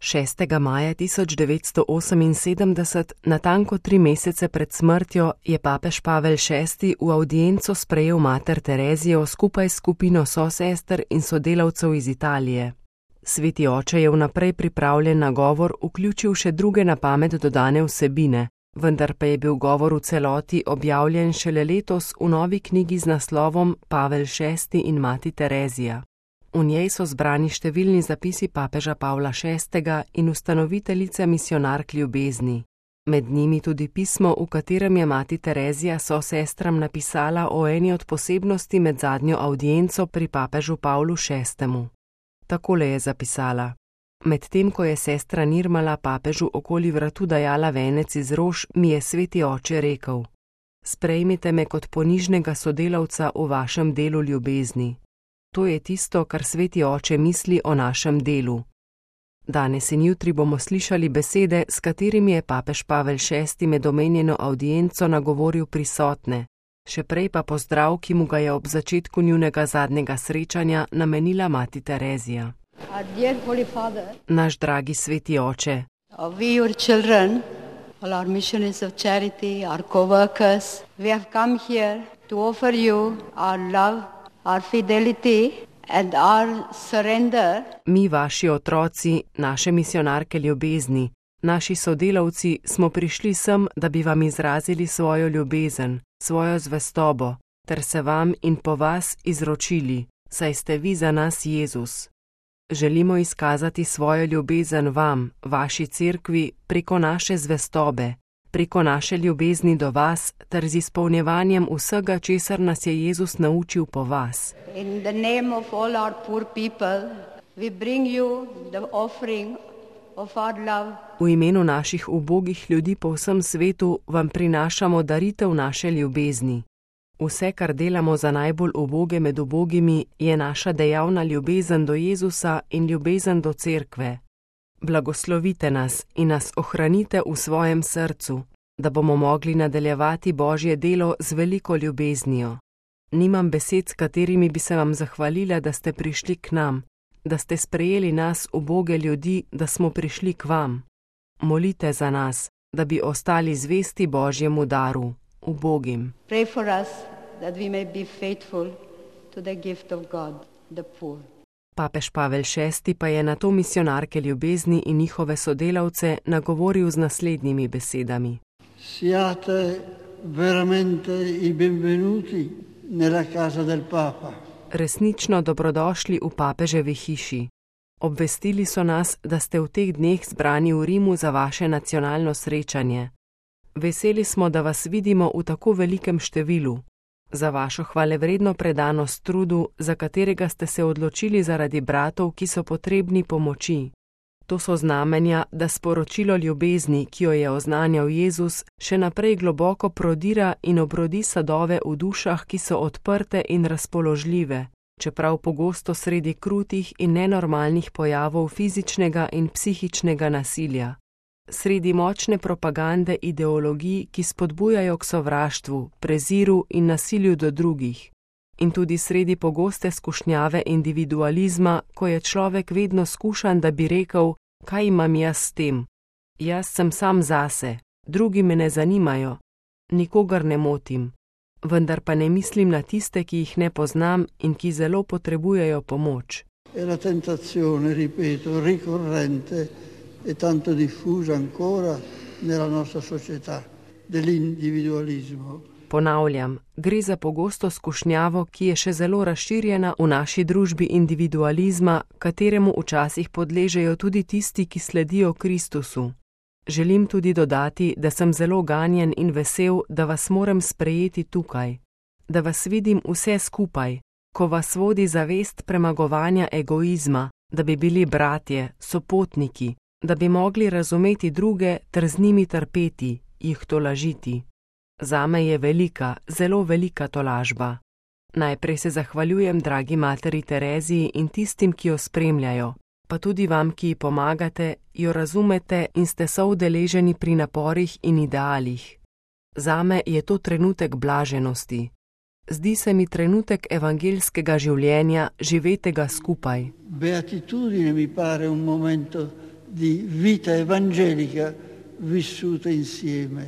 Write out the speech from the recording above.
6. maja 1978, natanko 3 mesece pred smrtjo, je papež Pavel VI v avdienco sprejel mater Terezijo skupaj s skupino sosester in sodelavcev iz Italije. Sveti oče je vnaprej pripravljen na govor vključil še druge na pamet dodane vsebine, vendar pa je bil govor v celoti objavljen šele letos v novi knjigi z naslovom Pavel VI in mati Terezija. V njej so zbrani številni zapisi papeža Pavla VI in ustanoviteljice misionark ljubezni. Med njimi tudi pismo, v katerem je mati Terezija sestram napisala o eni od posebnosti med zadnjo avdienco pri papežu Pavlu VI. Takole je zapisala: Medtem ko je sestra Nirmala papežu okoli vratu dajala venec iz rož, mi je sveti oče rekel: Sprejmite me kot ponižnega sodelavca v vašem delu ljubezni. To je tisto, kar sveti oče misli o našem delu. Danes in jutri bomo slišali besede, s katerimi je papež Pavel VI med omenjeno avdienco nagovoril prisotne, še prej pa pozdrav, ki mu ga je ob začetku njunega zadnjega srečanja namenila mati Terezija. Naš dragi sveti oče, We, your children, all our missionaries of charity, our co-workers, we have come here to offer you our love, our fidelity and our surrender. Mi, vaši otroci, naše misionarke ljubezni, naši sodelavci, smo prišli sem, da bi vam izrazili svojo ljubezen, svojo zvestobo, ter se vam in po vas izročili, saj ste vi za nas Jezus. Želimo izkazati svojo ljubezen vam, vaši cerkvi, preko naše zvestobe, preko naše ljubezni do vas, ter z izpolnjevanjem vsega, česar nas je Jezus naučil po vas. In the name of all our poor people, we bring you the offering of our love. V imenu naših ubogih ljudi po vsem svetu vam prinašamo daritev naše ljubezni. Vse, kar delamo za najbolj uboge med ubogimi, je naša dejavna ljubezen do Jezusa in ljubezen do cerkve. Blagoslovite nas in nas ohranite v svojem srcu, da bomo mogli nadaljevati Božje delo z veliko ljubeznijo. Nimam besed, s katerimi bi se vam zahvalila, da ste prišli k nam, da ste sprejeli nas, uboge ljudi, da smo prišli k vam. Molite za nas, da bi ostali zvesti Božjemu daru, ubogim. Pray for us that we may be faithful to the gift of God, the poor. Papež Pavel VI pa je na to misionarke ljubezni in njihove sodelavce nagovoril z naslednjimi besedami. Siate veramente i benvenuti nella casa del Papa. Resnično dobrodošli v papeževi hiši. Obvestili so nas, da ste v teh dneh zbrani v Rimu za vaše nacionalno srečanje. Veseli smo, da vas vidimo v tako velikem številu. Za vašo hvalevredno predanost trudu, za katerega ste se odločili zaradi bratov, ki so potrebni pomoči. To so znamenja, da sporočilo ljubezni, ki jo je oznanjal Jezus, še naprej globoko prodira in obrodi sadove v dušah, ki so odprte in razpoložljive, čeprav pogosto sredi krutih in nenormalnih pojavov fizičnega in psihičnega nasilja. Sredi močne propagande ideologij, ki spodbujajo k sovraštvu, preziru in nasilju do drugih. In tudi sredi pogoste skušnjave individualizma, ko je človek vedno skušan, da bi rekel, kaj imam jaz s tem. Jaz sem sam zase, drugi me ne zanimajo, nikogar ne motim, vendar pa ne mislim na tiste, ki jih ne poznam in ki zelo potrebujejo pomoč. E la tentazione, ripeto, ricorrente e tanto diffusa ancora nella nostra società, dell'individualismo. Ponavljam, gre za pogosto skušnjavo, ki je še zelo razširjena v naši družbi individualizma, kateremu včasih podležejo tudi tisti, ki sledijo Kristusu. Želim tudi dodati, da sem zelo ganjen in vesel, da vas moram sprejeti tukaj, da vas vidim vse skupaj, ko vas vodi zavest premagovanja egoizma, da bi bili bratje, sopotniki, da bi mogli razumeti druge ter z njimi trpeti, jih tolažiti. Zame je velika, zelo velika tolažba. Najprej se zahvaljujem dragi materi Tereziji in tistim, ki jo spremljajo, pa tudi vam, ki ji pomagate, jo razumete in ste soudeleženi pri naporih in idealih. Zame je to trenutek blaženosti. Zdi se mi trenutek evangeljskega življenja, živetega skupaj. Beatitudine mi pare un momento di vita evangelica vissuta insieme.